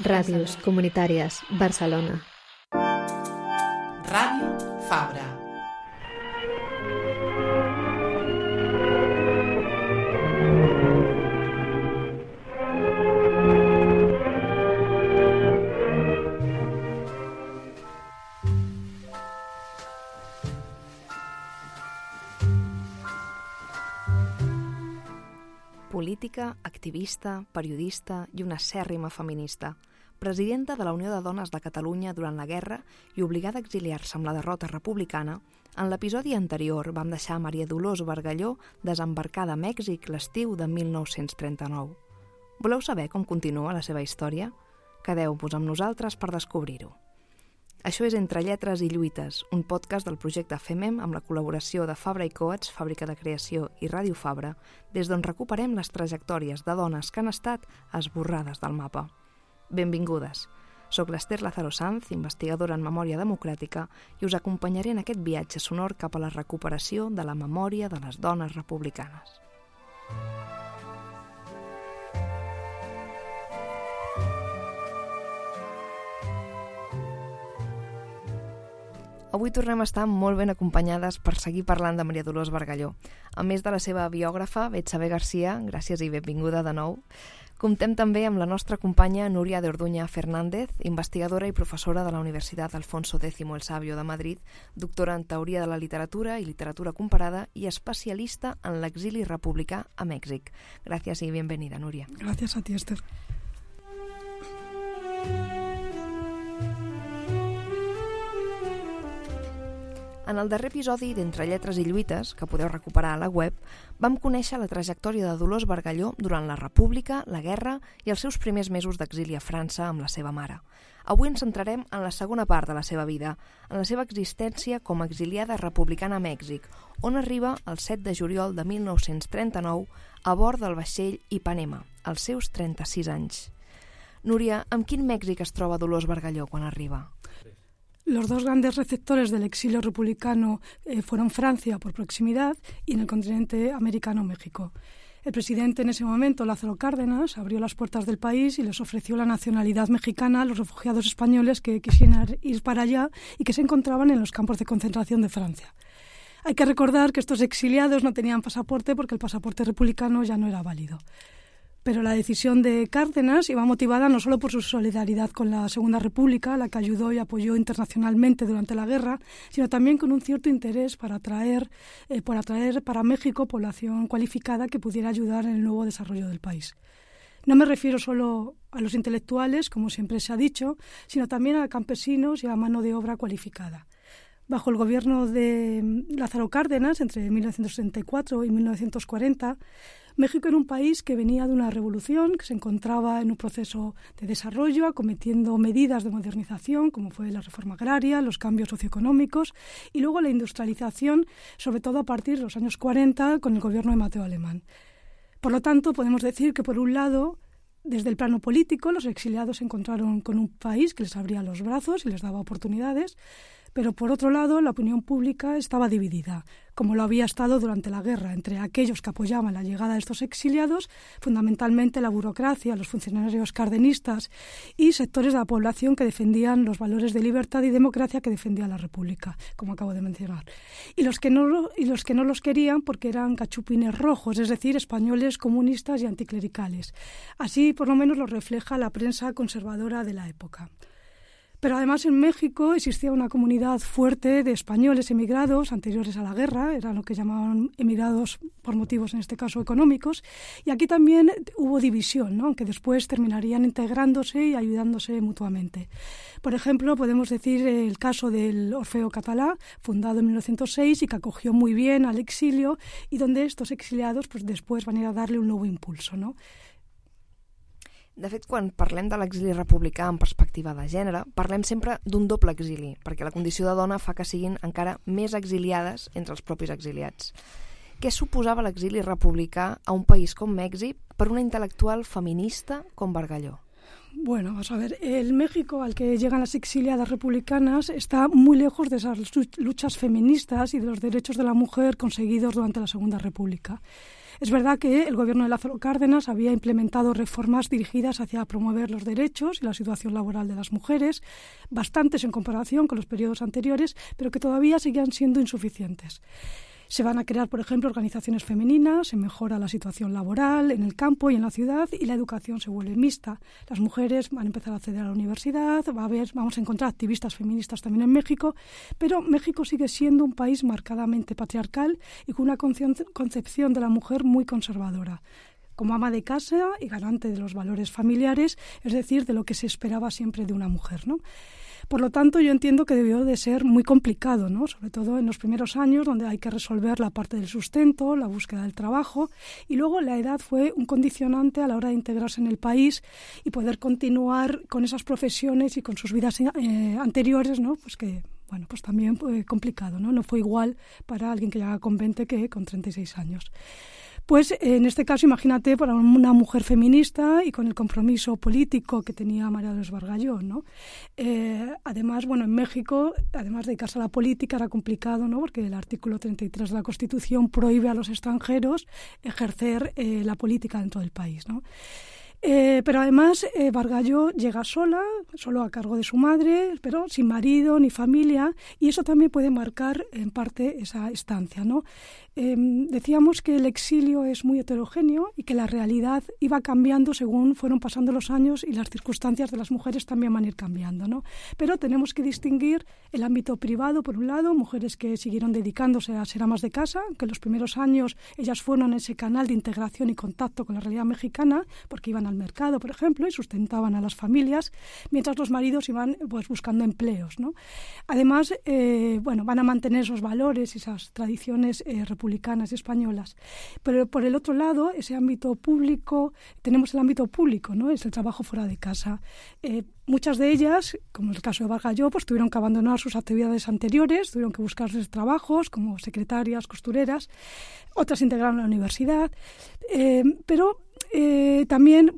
Ràdios comunitàries, Barcelona. Ràdio Fabra. Política, activista, periodista i una acèrrima feminista. Presidenta de la Unió de Dones de Catalunya durant la guerra i obligada a exiliar-se amb la derrota republicana, en l'episodi anterior vam deixar Maria Dolors Bargalló desembarcada a Mèxic l'estiu de 1939. Voleu saber com continua la seva història? Quedeu-vos amb nosaltres per descobrir-ho. Això és Entre lletres i lluites, un podcast del projecte FEMEM amb la col·laboració de Fabra i Coats, Fàbrica de Creació i Ràdio Fabra, des d'on recuperem les trajectòries de dones que han estat esborrades del mapa. Benvingudes. Soc l'Ester Lázaro Sanz, investigadora en memòria democràtica, i us acompanyaré en aquest viatge sonor cap a la recuperació de la memòria de les dones republicanes. Avui tornem a estar molt ben acompanyades per seguir parlant de Maria Dolors Bargalló. A més de la seva biògrafa, Betsabe García, gràcies i benvinguda de nou. Comptem també amb la nostra companya Núria de Orduña Fernández, investigadora i professora de la Universitat Alfonso X el Sabio de Madrid, doctora en Teoria de la Literatura i Literatura Comparada i especialista en l'exili republicà a Mèxic. Gràcies i benvenida, Núria. Gràcies a ti, Esther. En el darrer episodi d'Entre lletres i lluites, que podeu recuperar a la web, vam conèixer la trajectòria de Dolors Bargalló durant la República, la guerra i els seus primers mesos d'exili a França amb la seva mare. Avui ens centrarem en la segona part de la seva vida, en la seva existència com a exiliada republicana a Mèxic, on arriba el 7 de juliol de 1939 a bord del vaixell Ipanema, als seus 36 anys. Núria, amb quin Mèxic es troba Dolors Bargalló quan arriba? Los dos grandes receptores del exilio republicano fueron Francia por proximidad y en el continente americano México. El presidente en ese momento, Lázaro Cárdenas, abrió las puertas del país y les ofreció la nacionalidad mexicana a los refugiados españoles que quisieran ir para allá y que se encontraban en los campos de concentración de Francia. Hay que recordar que estos exiliados no tenían pasaporte porque el pasaporte republicano ya no era válido. Pero la decisión de Cárdenas iba motivada no solo por su solidaridad con la Segunda República, la que ayudó y apoyó internacionalmente durante la guerra, sino también con un cierto interés por atraer para México población cualificada que pudiera ayudar en el nuevo desarrollo del país. No me refiero solo a los intelectuales, como siempre se ha dicho, sino también a campesinos y a mano de obra cualificada. Bajo el gobierno de Lázaro Cárdenas, entre 1964 y 1940, México era un país que venía de una revolución, que se encontraba en un proceso de desarrollo, acometiendo medidas de modernización, como fue la reforma agraria, los cambios socioeconómicos y luego la industrialización, sobre todo a partir de los años 40, con el gobierno de Mateo Alemán. Por lo tanto, podemos decir que, por un lado, desde el plano político, los exiliados se encontraron con un país que les abría los brazos y les daba oportunidades, pero por otro lado la opinión pública estaba dividida, como lo había estado durante la guerra, entre aquellos que apoyaban la llegada de estos exiliados, fundamentalmente la burocracia, los funcionarios cardenistas y sectores de la población que defendían los valores de libertad y democracia que defendía la República, como acabo de mencionar, y los que no los querían porque eran cachupines rojos, es decir, españoles comunistas y anticlericales. Así por lo menos lo refleja la prensa conservadora de la época. Pero además en México existía una comunidad fuerte de españoles emigrados anteriores a la guerra, eran lo que llamaban emigrados por motivos en este caso económicos, y aquí también hubo división, ¿no? Aunque después terminarían integrándose y ayudándose mutuamente. Por ejemplo, podemos decir el caso del Orfeo Catalá, fundado en 1906 y que acogió muy bien al exilio y donde estos exiliados pues, después van a ir a darle un nuevo impulso, ¿no? De fet, quan parlem de l'exili republicà en perspectiva de gènere, parlem sempre d'un doble exili, perquè la condició de dona fa que siguin encara més exiliades entre els propis exiliats. Què suposava l'exili republicà a un país com Mèxic per una intel·lectual feminista com Bargalló? Bueno, vamos a ver, el México al que llegan las exiliadas republicanas está muy lejos de esas luchas feministas y de los derechos de la mujer conseguidos durante la Segunda República. Es verdad que el gobierno de Lázaro Cárdenas había implementado reformas dirigidas hacia promover los derechos y la situación laboral de las mujeres, bastantes en comparación con los periodos anteriores, pero que todavía seguían siendo insuficientes. Se van a crear, por ejemplo, organizaciones femeninas, se mejora la situación laboral en el campo y en la ciudad y la educación se vuelve mixta. Las mujeres van a empezar a acceder a la universidad, vamos a encontrar activistas feministas también en México, pero México sigue siendo un país marcadamente patriarcal y con una concepción de la mujer muy conservadora, como ama de casa y garante de los valores familiares, es decir, de lo que se esperaba siempre de una mujer, ¿no? Por lo tanto, yo entiendo que debió de ser muy complicado, ¿no? Sobre todo en los primeros años, donde hay que resolver la parte del sustento, la búsqueda del trabajo, y luego la edad fue un condicionante a la hora de integrarse en el país y poder continuar con esas profesiones y con sus vidas anteriores, ¿no? Pues que, bueno, pues también fue complicado, ¿no? No fue igual para alguien que llegaba con 20 que con 36 años. Pues en este caso, imagínate, para una mujer feminista y con el compromiso político que tenía María Dolores Bargalló, ¿no? Además, bueno, en México, además de dedicarse a la política, era complicado, ¿no? Porque el artículo 33 de la Constitución prohíbe a los extranjeros ejercer la política dentro del país, ¿no? Pero además Bargalló llega sola, solo a cargo de su madre, pero sin marido ni familia, y eso también puede marcar en parte esa estancia, ¿no? Decíamos que el exilio es muy heterogéneo y que la realidad iba cambiando según fueron pasando los años y las circunstancias de las mujeres también van a ir cambiando, ¿no? Pero tenemos que distinguir el ámbito privado, por un lado, mujeres que siguieron dedicándose a ser amas de casa, que en los primeros años ellas fueron ese canal de integración y contacto con la realidad mexicana, porque iban al mercado, por ejemplo, y sustentaban a las familias, mientras los maridos iban pues buscando empleos, ¿no? Además, bueno, van a mantener esos valores y esas tradiciones republicanas y españolas. Pero por el otro lado, ese ámbito público, tenemos el ámbito público, ¿no? Es el trabajo fuera de casa. Muchas de ellas, como el caso de Bargalló, pues tuvieron que abandonar sus actividades anteriores, tuvieron que buscarse trabajos como secretarias, costureras, otras integraron la universidad, pero también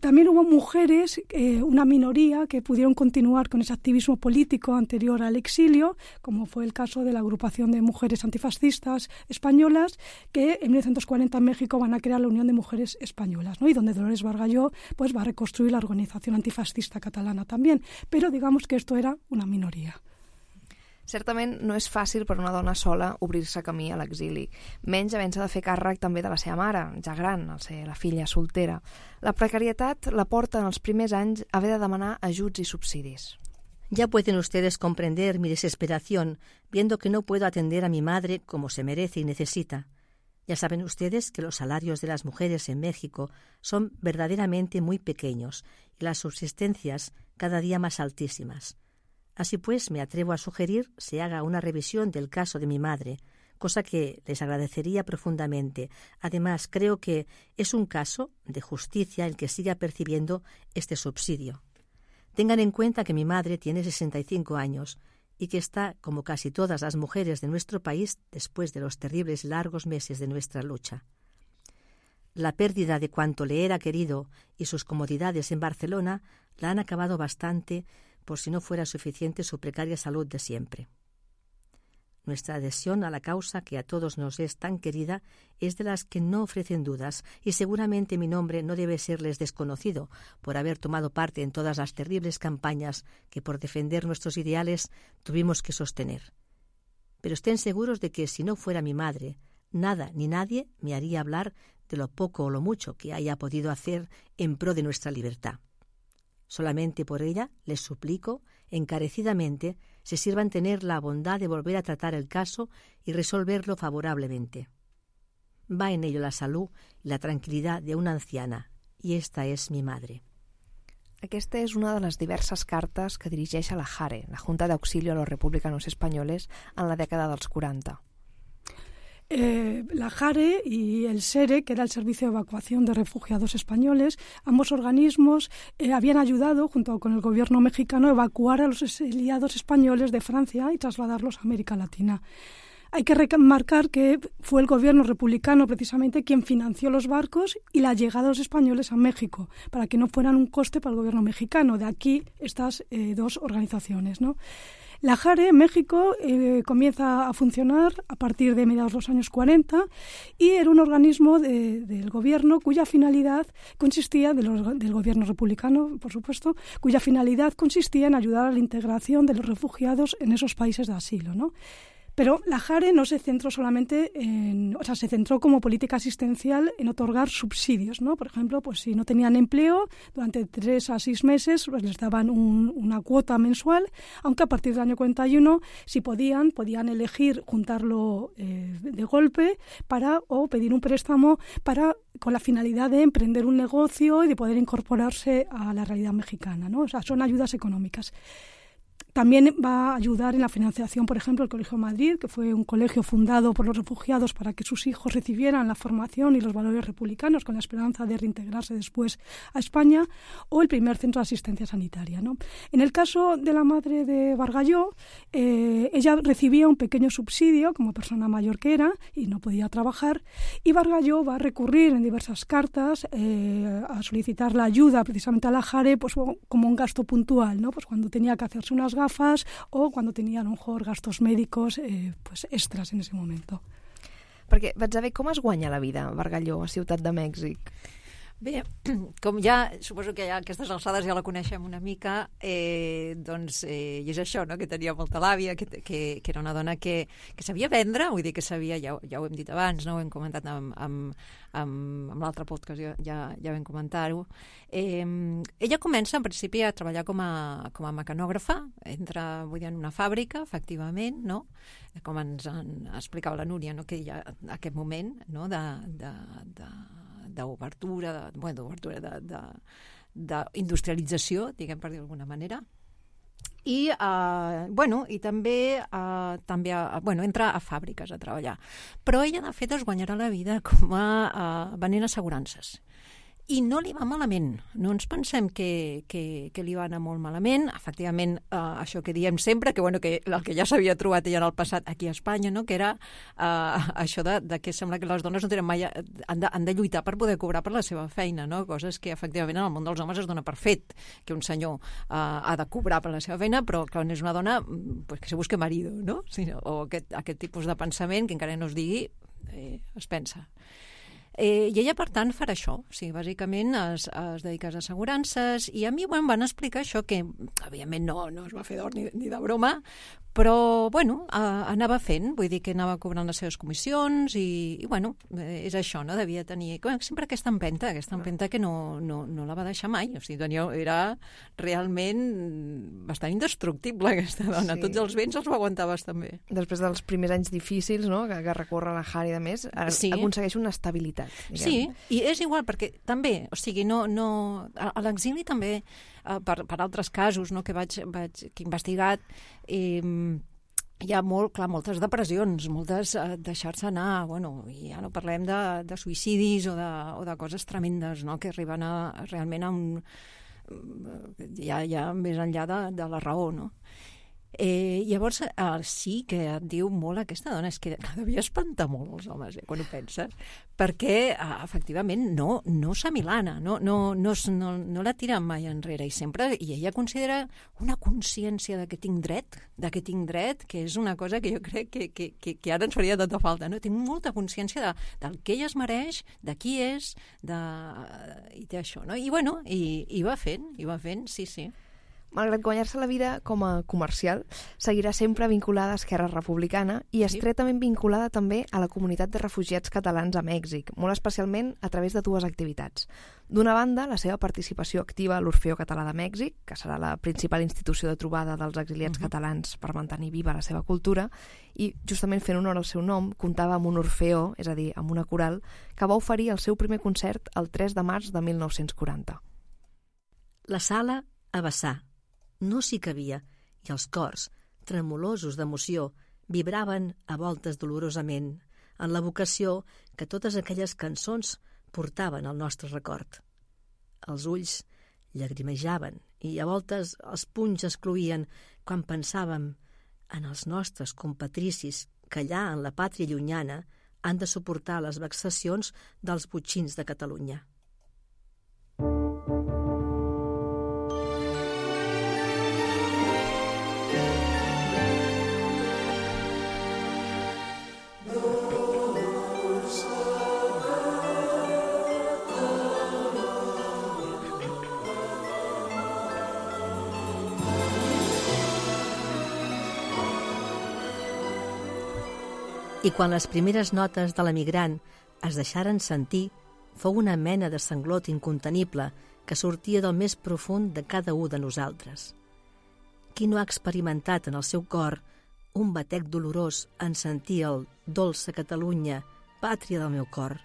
también hubo mujeres, una minoría, que pudieron continuar con ese activismo político anterior al exilio, como fue el caso de la agrupación de mujeres antifascistas españolas, que en 1940 en México van a crear la Unión de Mujeres Españolas, ¿no? Y donde Dolores Bargalló pues va a reconstruir la organización antifascista catalana también, però digamos que esto era una minoria. Certament no és fàcil per una dona sola obrir-se camí a l'exili, menys havent-se de fer càrrec també de la seva mare, ja gran, al ser la filla soltera. La precarietat la porta en els primers anys a haver de demanar ajuts i subsidis. Ya pueden ustedes comprender mi desesperación viendo que no puedo atender a mi madre como se merece y necesita. Ya saben ustedes que los salarios de las mujeres en México son verdaderamente muy pequeños y las subsistencias cada día más altísimas. Así pues, me atrevo a sugerir se haga una revisión del caso de mi madre, cosa que les agradecería profundamente. Además, creo que es un caso de justicia el que siga percibiendo este subsidio. Tengan en cuenta que mi madre tiene 65 años y que está, como casi todas las mujeres de nuestro país, después de los terribles largos meses de nuestra lucha. La pérdida de cuanto le era querido y sus comodidades en Barcelona la han acabado bastante, por si no fuera suficiente su precaria salud de siempre. Nuestra adhesión a la causa que a todos nos es tan querida es de las que no ofrecen dudas, y seguramente mi nombre no debe serles desconocido por haber tomado parte en todas las terribles campañas que por defender nuestros ideales tuvimos que sostener. Pero estén seguros de que si no fuera mi madre, nada ni nadie me haría hablar de lo poco o lo mucho que haya podido hacer en pro de nuestra libertad. Solamente por ella les suplico encarecidamente se sirvan tener la bondad de volver a tratar el caso y resolverlo favorablemente. Va en ello la salud y la tranquilidad de una anciana, y esta es mi madre. Aquesta és una de les diverses cartes que dirigeix a la JARE, la Junta de Auxilio a los Republicanos Españoles, en la dècada dels 40. La JARE y el SERE, que era el Servicio de Evacuación de Refugiados Españoles, ambos organismos habían ayudado, junto con el gobierno mexicano, a evacuar a los exiliados españoles de Francia y trasladarlos a América Latina. Hay que remarcar que fue el gobierno republicano precisamente quien financió los barcos y la llegada de los españoles a México, para que no fueran un coste para el gobierno mexicano. De aquí estas dos organizaciones, ¿no? La JARE en México comienza a funcionar a partir de mediados de los años 40 y era un organismo del gobierno cuya finalidad consistía, del gobierno republicano, por supuesto, cuya finalidad consistía en ayudar a la integración de los refugiados en esos países de asilo, ¿no? Pero la JARE no se centró solamente se centró como política asistencial en otorgar subsidios, ¿no? Por ejemplo, pues si no tenían empleo, durante 3 a 6 meses pues les daban una cuota mensual, aunque a partir del año 41, si podían elegir juntarlo de golpe o pedir un préstamo con la finalidad de emprender un negocio y de poder incorporarse a la realidad mexicana, ¿no? O sea, son ayudas económicas. También va a ayudar en la financiación, por ejemplo, el Colegio Madrid, que fue un colegio fundado por los refugiados para que sus hijos recibieran la formación y los valores republicanos con la esperanza de reintegrarse después a España, o el primer centro de asistencia sanitaria, ¿no? En el caso de la madre de Bargalló, ella recibía un pequeño subsidio como persona mayor que era y no podía trabajar, y Bargalló va a recurrir en diversas cartas a solicitar la ayuda precisamente a la JARE pues, como un gasto puntual, ¿no? Pues cuando tenía que hacerse unas gafas o cuando tenien a lo mejor gastos médicos pues extras en ese momento. Perquè vaig saber com es guanya la vida a Bargalló, a Ciutat de Mèxic. Bé, com ja, suposo que ja a aquestes alçades ja la coneixem una mica, doncs, i és això, no?, que tenia molta làbia, que era una dona que sabia vendre, vull dir que sabia, ja ho hem dit abans, no?, ho hem comentat amb l'altre podcast, ja vam comentar-ho. Ella comença, en principi, a treballar com a mecanògrafa, entra, vull dir, en una fàbrica, efectivament, no?, com ens explicava la Núria, no?, que hi ha aquest moment, no?, d'obertura, d'industrialització, diguem per dir d'alguna manera. I també entra a fàbriques a treballar. Però ella, de fet, es guanyarà la vida com a venent assegurances. I no li va malament. No ens pensem que li va anar molt malament. Efectivament, això que diem sempre, que el que ja s'havia trobat ella en el passat aquí a Espanya, no?, que era això de que sembla que les dones no tenen mai, han de lluitar per poder cobrar per la seva feina, no? Coses que efectivament en el món dels homes es dona per fet, que un senyor ha de cobrar per la seva feina, però quan és una dona, pues que se busque marido, no? O aquest tipus de pensament que encara no es digui, es pensa. I ella, per tant, farà això. O sigui, bàsicament es dedica a les assegurances i a mi em van explicar això que, evidentment, no es va fer d'or ni de broma, però, anava fent, vull dir que anava cobrant les seves comissions i és això, no? Devia tenir sempre aquesta empenta que no la va deixar mai. O sigui, era realment bastant indestructible, aquesta dona. Sí. Tots els vents els va aguantar bastant bé. Després dels primers anys difícils, no?, que recorre la JARE i de més, aconsegueix una estabilitat. Diguem. Sí, i és igual, perquè també, o sigui, a l'exili també, per altres casos, no?, que he investigat, hi ha moltes depressions, moltes deixar-se anar, i ja no parlem de suïcidis o de coses tremendes, no?, que arriben realment a ja més enllà de la raó, no? Llavors, sí que et diu molt aquesta dona, és que devia espantar molt els homes, quan ho penses, perquè, efectivament, no s'amilana, no la tira mai enrere, i ella considera una consciència de que tinc dret, que és una cosa que jo crec que ara ens faria tota falta, no? Tinc molta consciència del que ella es mereix, de qui és, i té això, no? I va fent, sí. Malgrat guanyar-se la vida com a comercial, seguirà sempre vinculada a Esquerra Republicana i estretament vinculada també a la comunitat de refugiats catalans a Mèxic, molt especialment a través de 2 activitats. D'una banda, la seva participació activa a l'Orfeó Català de Mèxic, que serà la principal institució de trobada dels exiliats catalans per mantenir viva la seva cultura, i justament fent honor al seu nom, comptava amb un orfeó, és a dir, amb una coral, que va oferir el seu primer concert el 3 de març de 1940. La sala a vessar. No s'hi cabia, i els cors, tremolosos d'emoció, vibraven a voltes dolorosament en l'evocació que totes aquelles cançons portaven al nostre record. Els ulls llagrimejaven i a voltes els punys es cloïen quan pensàvem en els nostres compatricis que allà, en la pàtria llunyana, han de suportar les vexacions dels botxins de Catalunya. I quan les primeres notes de l'emigrant es deixaren sentir, fou una mena de sanglot incontenible que sortia del més profund de cada un de nosaltres. Qui no ha experimentat en el seu cor un batec dolorós en sentir el «Dolça Catalunya, pàtria del meu cor»,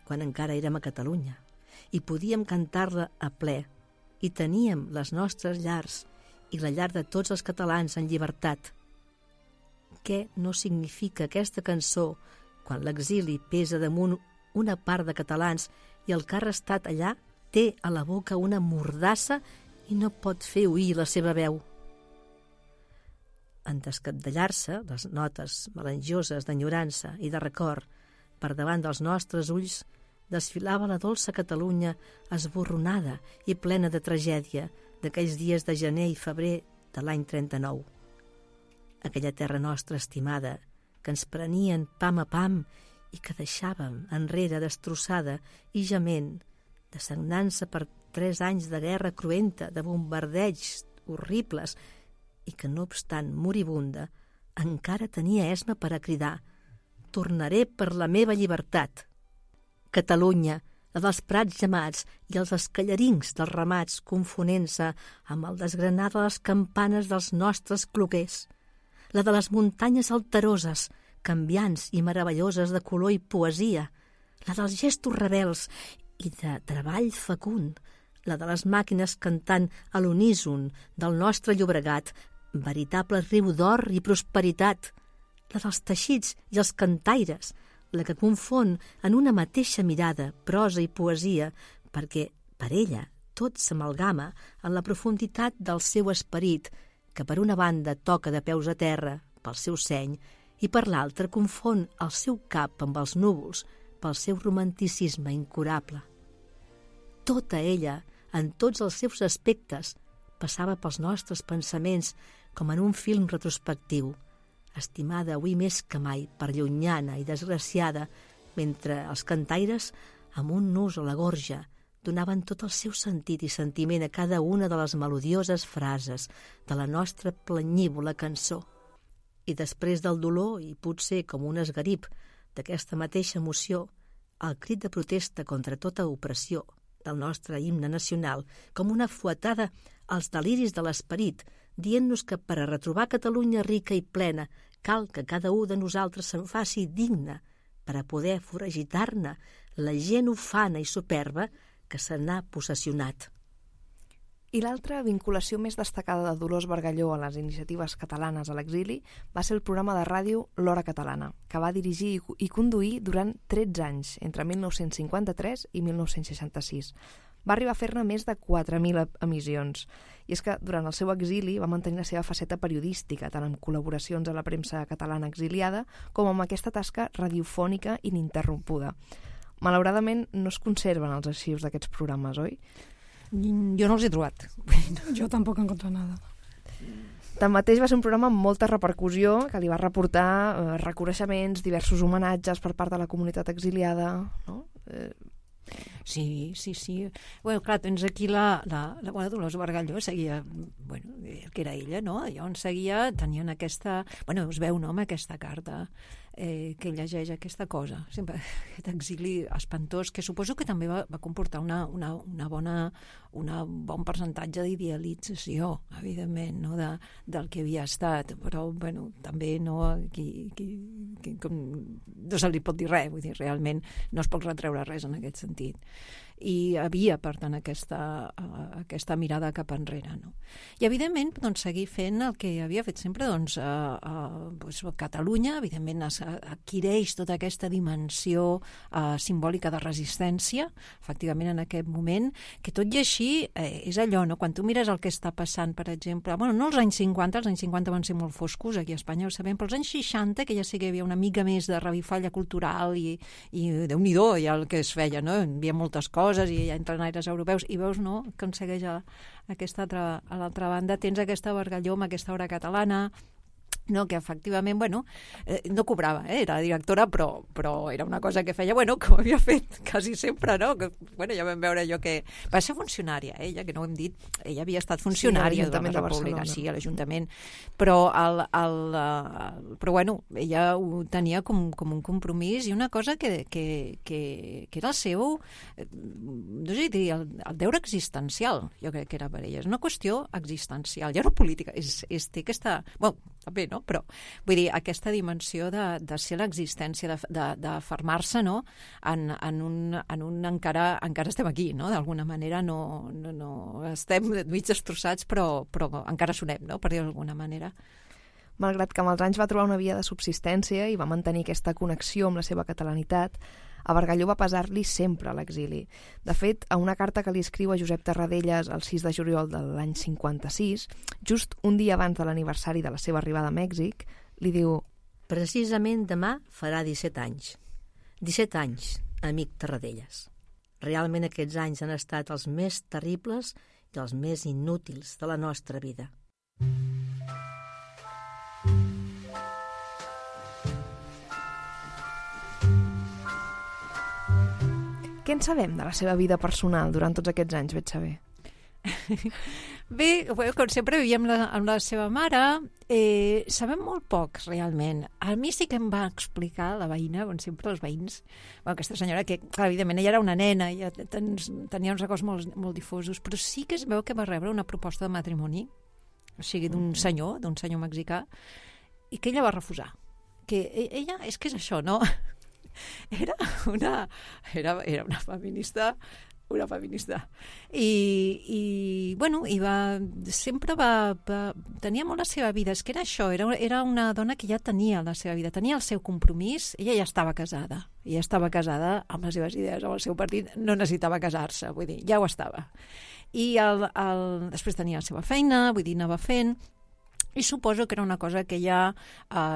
quan encara érem a Catalunya, i podíem cantar-la a ple, i teníem les nostres llars i la llar de tots els catalans en llibertat. Què no significa aquesta cançó quan l'exili pesa damunt una part de catalans i el que ha restat allà té a la boca una mordassa i no pot fer oir la seva veu? En descabdellar-se, les notes melangioses d'enyorança i de record per davant dels nostres ulls, desfilava la dolça Catalunya esborronada i plena de tragèdia d'aquells dies de gener i febrer de l'any 39. Aquella terra nostra estimada, que ens prenien pam a pam i que deixàvem enrere destrossada i gement, dessagnant-se per 3 anys de guerra cruenta, de bombardeigs horribles, i que, no obstant moribunda, encara tenia esma per a cridar «Tornaré per la meva llibertat». Catalunya, la dels prats gemats i els escallarins dels ramats confonent-se amb el desgranar de les campanes dels nostres cloquers, la de les muntanyes alteroses, canviants i meravelloses de color i poesia, la dels gestos rebels i de treball fecund, la de les màquines cantant a l'uníson del nostre Llobregat, veritable riu d'or i prosperitat, la dels teixits i els cantaires, la que confon en una mateixa mirada prosa i poesia, perquè per ella tot s'amalgama en la profunditat del seu esperit, que per una banda toca de peus a terra pel seu seny i per l'altra confon el seu cap amb els núvols pel seu romanticisme incurable. Tota ella, en tots els seus aspectes, passava pels nostres pensaments com en un film retrospectiu, estimada avui més que mai per llunyana i desgraciada, mentre els cantaires, amb un nus a la gorja, donaven tot el seu sentit i sentiment a cada una de les melodioses frases de la nostra planyívola cançó. I després del dolor, i potser com un esgarip d'aquesta mateixa emoció, el crit de protesta contra tota opressió del nostre himne nacional, com una fuetada als deliris de l'esperit, dient-nos que per a retrobar Catalunya rica i plena cal que cada un de nosaltres se'n faci digne per a poder foragitar-ne la gent ufana i superba que se n'ha possessionat. I l'altra vinculació més destacada de Dolors Bargalló a les iniciatives catalanes a l'exili va ser el programa de ràdio L'Hora Catalana, que va dirigir i conduir durant 13 anys, entre 1953 i 1966. Va arribar a fer-ne més de 4.000 emissions. I és que durant el seu exili va mantenir la seva faceta periodística, tant amb col·laboracions a la premsa catalana exiliada com amb aquesta tasca radiofònica ininterrompuda. Malauradament no es conserven els arxius d'aquests programes, oi? Jo no els he trobat. Jo tampoc he encontrat nada. Tanmateix va ser un programa amb molta repercussió que li va reportar reconeixements, diversos homenatges per part de la comunitat exiliada, no? Sí. Bueno, clar, tens aquí la Dolors Bargalló seguia, bueno, que era ella, no? Llavors seguia, tenien aquesta... Bueno, us veu, no?, amb aquesta carta que llegeix aquesta cosa. Sempre aquest exili espantós, que suposo que també va comportar un bon percentatge d'idealització, evidentment, no?, del que havia estat, però, bueno, també no se li pot dir res, vull dir, realment no es pot retreure res en aquest sentit. hi havia, per tant, aquesta mirada cap enrere, no? I, evidentment, doncs, seguir fent el que havia fet sempre, doncs, Catalunya, evidentment, adquireix tota aquesta dimensió simbòlica de resistència, efectivament, en aquest moment, que tot i així és allò, no? Quan tu mires el que està passant, per exemple, bueno, no els anys 50 van ser molt foscos aquí a Espanya, ho sabem, però els anys 60, que ja sí que hi havia una mica més de revifalla cultural i Déu-n'hi-do ja el que es feia, no? Hi havia moltes coses i ja entren aires europeus i veus, no?, que aconsegueix a l'altra banda tens aquesta Bargalló amb aquesta obra catalana, no, que efectivament, bueno, no cobrava, era directora, però era una cosa que feia, bueno, com havia fet quasi sempre, no? Que, bueno, ja vam veure allò que... Va ser funcionària, ella, que no ho hem dit, ella havia estat funcionària de la República, sí, a l'Ajuntament, però bueno, ella ho tenia com un compromís i una cosa que era el seu, no sé dir, el deure existencial, jo crec que era per ella, és una qüestió existencial, ja no política, té aquesta... Bueno, també, no? Però, vull dir, aquesta dimensió de ser l'existència, de fermar-se, no?, en un encara estem aquí, no?, d'alguna manera no estem mig destrossats, però encara sonem, no?, per dir d'alguna manera. Malgrat que amb els anys va trobar una via de subsistència i va mantenir aquesta connexió amb la seva catalanitat, a Bargalló va pesar-li sempre a l'exili. De fet, a una carta que li escriu a Josep Tarradellas el 6 de juliol de l'any 56, just un dia abans de l'aniversari de la seva arribada a Mèxic, li diu: Precisament demà farà 17 anys. 17 anys, amic Tarradellas. Realment aquests anys han estat els més terribles i els més inútils de la nostra vida. Què en sabem de la seva vida personal durant tots aquests anys, Betxavé? Bé, com sempre vivíem amb la seva mare, sabem molt poc, realment. A mi sí que em va explicar la veïna, com sempre els veïns, aquesta senyora que, clar, evidentment, ella era una nena, ja tenia uns records molt difosos, però sí que es veu que va rebre una proposta de matrimoni, o sigui, d'un senyor mexicà, i que ella va refusar. Que ella, és que és això, no? Era una feminista i bueno, sempre tenia molt la seva vida, és que era això, era una dona que ja tenia la seva vida, tenia el seu compromís, ella ja estava casada amb les seves idees, amb el seu partit, no necessitava casar-se, vull dir, ja ho estava, i després tenia la seva feina, vull dir, anava fent. I suposo que era una cosa que ella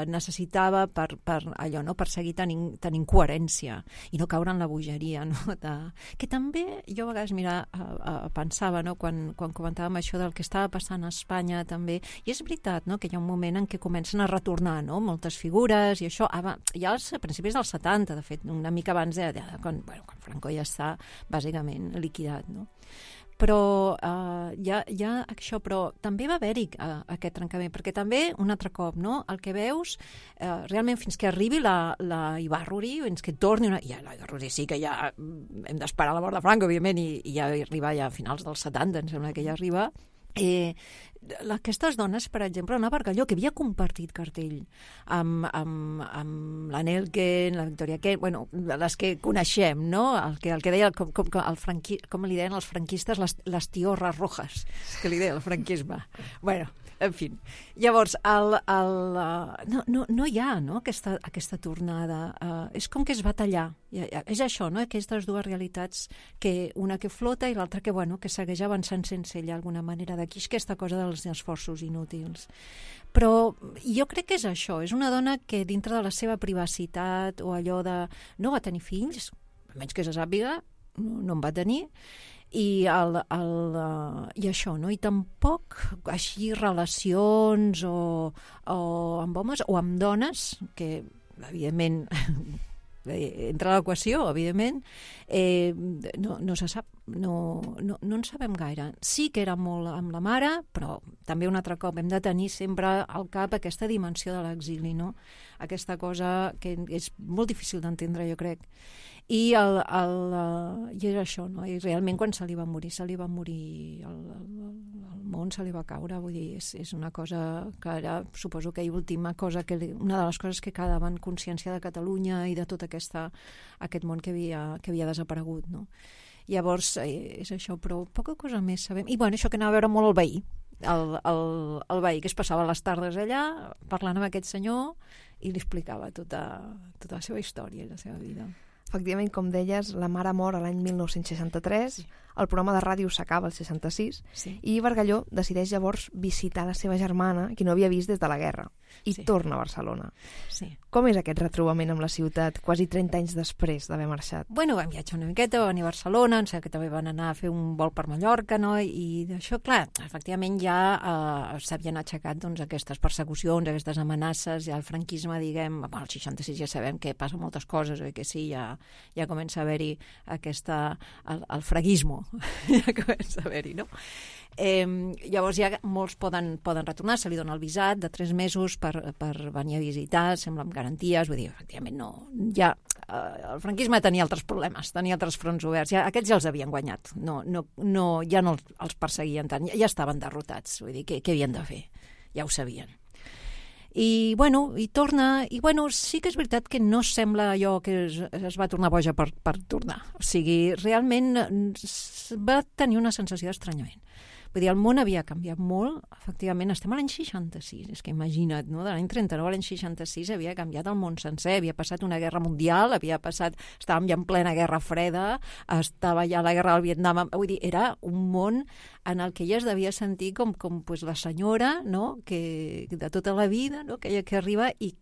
necessitava per allò, no? Per seguir tenint coherència i no caure en la bogeria, no? Que també jo a vegades pensava, no? Quan comentàvem això del que estava passant a Espanya també, i és veritat, no? Que hi ha un moment en què comencen a retornar, no? Moltes figures i això, ja als principis dels 70, de fet, una mica abans quan Franco ja està bàsicament liquidat, no? Però això, però també va haver-hi aquest trencament, perquè també, un altre cop, no? El que veus, realment fins que arribi la Ibarruri, fins que torni ja la Ibarruri sí que ja hem d'esperar la mort de Franco, evidentment, i ja arriba ja a finals dels 70, em sembla que ja arriba. Aquestes dones, per exemple, una Bargalló que havia compartit cartell amb la Nelken, la Victoria Kent, bueno, les que coneixem, no? El que deia, com li deien els franquistes, les tiorres rojas, que li deia el franquisme. Bueno, en fi. Llavors, no hi ha, no?, aquesta tornada. És com que es va tallar. És això, no?, aquestes dues realitats, una que flota i l'altra que segueix avançant sense ella, d'alguna manera. D'aquí és aquesta cosa dels esforços inútils. Però jo crec que és això. És una dona que dintre de la seva privacitat o allò de no va tenir fills, almenys que se sàpiga, no en va tenir, i això, no? I tampoc així relacions o amb homes o amb dones, que evidentment entra a l'equació, evidentment, no se sap, no en sabem gaire. Sí que era molt amb la mare, però també un altre cop hem de tenir sempre al cap aquesta dimensió de l'exili, no? Aquesta cosa que és molt difícil d'entendre, jo crec. I és això, no? I realment quan se li va morir, el món se li va caure, vull dir, és una cosa que era, suposo que última cosa, una de les coses que quedaven consciència de Catalunya i de tot aquest món que havia desaparegut, no? Llavors, és això, però poca cosa més sabem. I bueno, això que anava a veure molt el veí, el veí que es passava les tardes allà parlant amb aquest senyor i li explicava tota la seva història i la seva vida. Efectivament, com deies, la mare mor a l'any 1963, el programa de ràdio s'acaba al 66, i Bargalló decideix llavors visitar la seva germana, que no havia vist des de la guerra, i torna a Barcelona. Sí. Com és aquest retrobament amb la ciutat, quasi 30 anys després d'haver marxat? Bueno, vam viatjar una miqueta, vam venir a Barcelona, em sembla que també van anar a fer un vol per Mallorca, no? I d'això, clar, efectivament ja s'havien aixecat doncs, aquestes persecucions, aquestes amenaces, ja el franquisme, diguem, bueno, el 66 ja sabem que passa moltes coses, que sí, ja comença a haver-hi el fraguismo, ja comença a haver-hi, no? Llavors ja molts poden retornar, se li dona el visat de 3 mesos per venir a visitar, sembla amb garanties, vull dir, efectivament no, ja el franquisme tenia altres problemes, tenia altres fronts oberts, ja, aquests ja els havien guanyat, ja no els perseguien tant, ja estaven derrotats, vull dir, què havien de fer? Ja ho sabien. I, bueno, i torna, i bueno, sí que és veritat que no sembla allò que es va tornar boja per tornar. O sigui, realment va tenir una sensació d'estranyament. Vull dir, el món havia canviat molt, efectivament, estem a l'any 66, és que imagina't, no? De l'any 39 a l'any 66 havia canviat el món sencer, havia passat una guerra mundial, estàvem ja en plena guerra freda, estava ja la guerra del Vietnam, vull dir, era un món en el que ella es devia sentir com pues, la senyora, no? Que de tota la vida, no? Que arriba i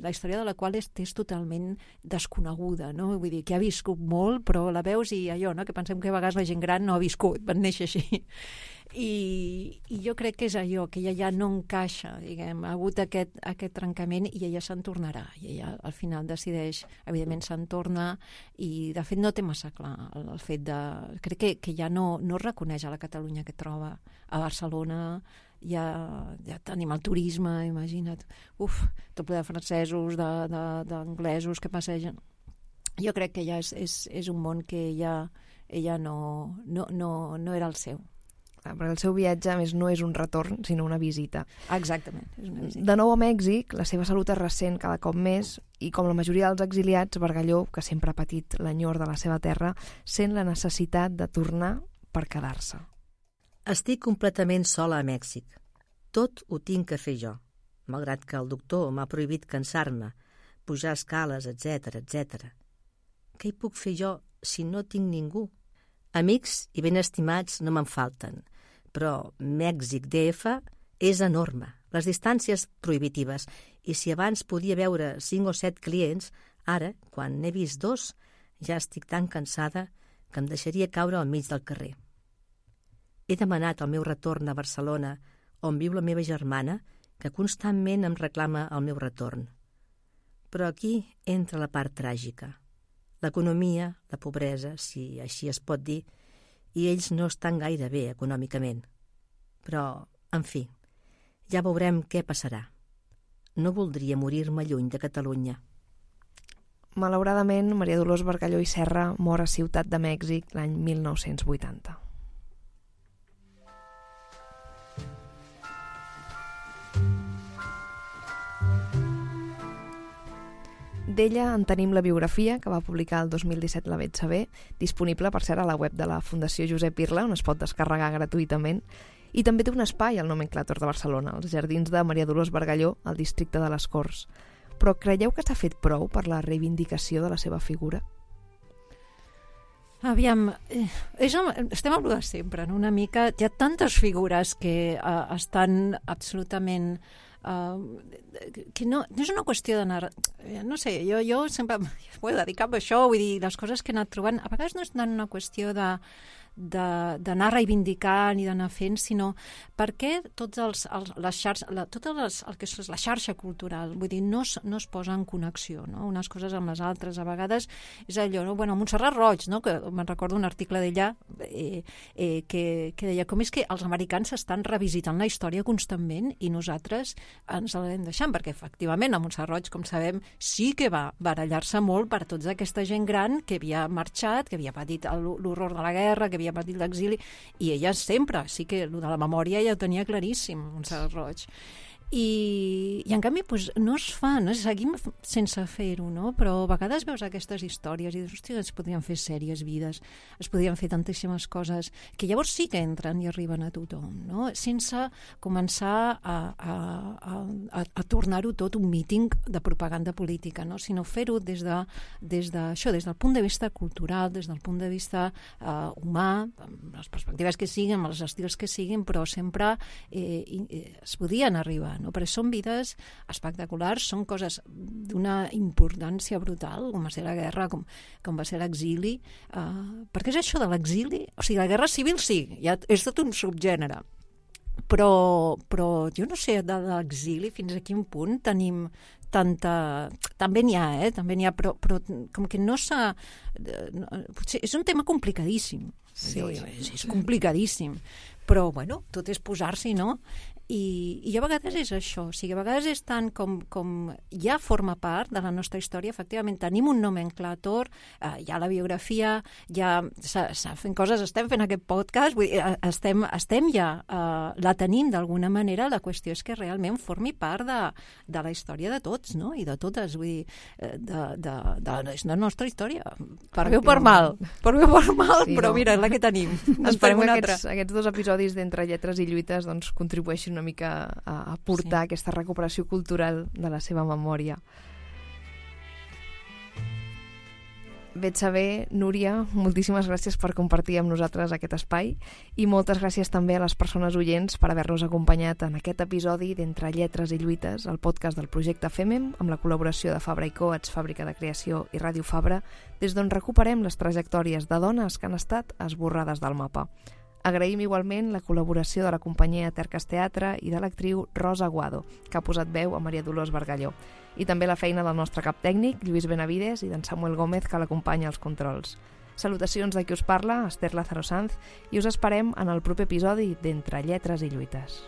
la història de la qual és totalment desconeguda, no? Vull dir, que ha viscut molt, però la veus i allò, no? Que pensem que a vegades la gent gran no ha viscut, van néixer així. I jo crec que és allò, que ella ja no encaixa, diguem, ha hagut aquest trencament i ella se'n tornarà. I ella al final decideix, evidentment se'n torna i de fet no té massa clar el fet de... Crec que ja no reconeix a la Catalunya que troba a Barcelona, ja tenim el turisme, imagina't, tot ple de francesos, d'anglesos que passegen. Jo crec que ja és un món que ella no era el seu. Perquè el seu viatge, a més, no és un retorn, sinó una visita. Exactament, és una visita. De nou a Mèxic, la seva salut es ressent cada cop més i, com la majoria dels exiliats, Bargalló, que sempre ha patit l'enyor de la seva terra, sent la necessitat de tornar per quedar-se. Estic completament sola a Mèxic. Tot ho tinc que fer jo, malgrat que el doctor m'ha prohibit cansar-me, pujar escales, etc. Què hi puc fer jo si no tinc ningú? Amics i ben estimats no me'n falten, però Mèxic DF és enorme, les distàncies prohibitives, i si abans podia veure 5 o 7 clients, ara, quan n'he vist 2, ja estic tan cansada que em deixaria caure al mig del carrer. He demanat el meu retorn a Barcelona, on viu la meva germana, que constantment em reclama el meu retorn. Però aquí entra la part tràgica. L'economia, la pobresa, si així es pot dir, i ells no estan gaire bé econòmicament. Però, en fi, ja veurem què passarà. No voldria morir-me lluny de Catalunya. Malauradament, Maria Dolors Bargalló i Serra mor a Ciutat de Mèxic l'any 1980. D'ella en tenim la biografia, que va publicar el 2017 la Vet Saber, disponible, per cert, a la web de la Fundació Josep Irla, on es pot descarregar gratuïtament, i també té un espai al Nomenclàtor de Barcelona, als jardins de Maria Dolors Bargalló, al districte de les Corts. Però creieu que s'ha fet prou per la reivindicació de la seva figura? Aviam, estem a de sempre, no? Una mica, hi ha tantes figures que estan absolutament... que no és una qüestió d'anar... No sé, jo sempre m'he dedicat a això, vull dir, les coses que he anat trobant, a vegades no és tant una qüestió d'anar reivindicant i d'anar fent, sinó perquè tots el que és la xarxa cultural, vull dir, no es posa en connexió, no? Unes coses amb les altres, a vegades és allò, no? Bueno, Montserrat Roig, no? Que me'n recordo un article d'ella que deia com és que els americans estan revisitant la història constantment i nosaltres ens l'hem deixant, perquè efectivament a Montserrat Roig, com sabem, sí que va barallar-se molt per tota aquesta gent gran que havia marxat, que havia patit l'horror de la guerra, que havia patit l'exili, i ella sempre, sí que el de la memòria ja ho tenia claríssim, Montserrat Roig. I en canvi no es fa, no? Seguim sense fer-ho, no? Però a vegades veus aquestes històries i dius, hòstia, es podrien fer sèries vides, es podrien fer tantíssimes coses que llavors sí que entren i arriben a tothom, no? Sense començar a tornar-ho tot un míting de propaganda política, no? Sinó fer-ho des del punt de vista cultural, des del punt de vista humà, amb les perspectives que siguin, amb els estils que siguin, però sempre es podien arribar, no? Perquè són vides espectaculars, són coses d'una importància brutal, com va ser la guerra, com va ser l'exili, perquè és això de l'exili, o sigui, la guerra civil sí, ja és tot un subgènere, però jo no sé, de l'exili fins a quin punt tenim tanta... També n'hi ha, però com que no s'ha... Potser és un tema complicadíssim, sí. És complicadíssim, però, bueno, tot és posar-s'hi, no? I a vegades és això, o sigui, a vegades és tant com ja forma part de la nostra història, efectivament tenim un nomenclàtor, hi ha la biografia, ja s'ha fent coses, estem fent aquest podcast, vull dir, estem ja, la tenim d'alguna manera, la qüestió és que realment formi part de la història de tots, no? I de totes, vull dir, de la nostra història, per bé o per mal, sí, però mira, és la que tenim. Esperem que aquests 2 episodis d'Entre Lletres i Lluites doncs, contribueixin una mica a portar aquesta recuperació cultural de la seva memòria. Bé et saber, Núria, moltíssimes gràcies per compartir amb nosaltres aquest espai i moltes gràcies també a les persones oients per haver-nos acompanyat en aquest episodi d'Entre Lletres i Lluites, el podcast del projecte FEMEM, amb la col·laboració de Fabra i Coats, Fàbrica de Creació i Ràdio Fabra, des d'on recuperem les trajectòries de dones que han estat esborrades del mapa. Agraïm igualment la col·laboració de la companyia Tercas Teatre i de l'actriu Rosa Aguado, que ha posat veu a Maria Dolors Bargalló, i també la feina del nostre cap tècnic, Lluís Benavides, i d'en Samuel Gómez, que l'acompanya als controls. Salutacions de qui us parla, Esther Lázaro Sanz, i us esperem en el proper episodi d'Entre Lletres i Lluites.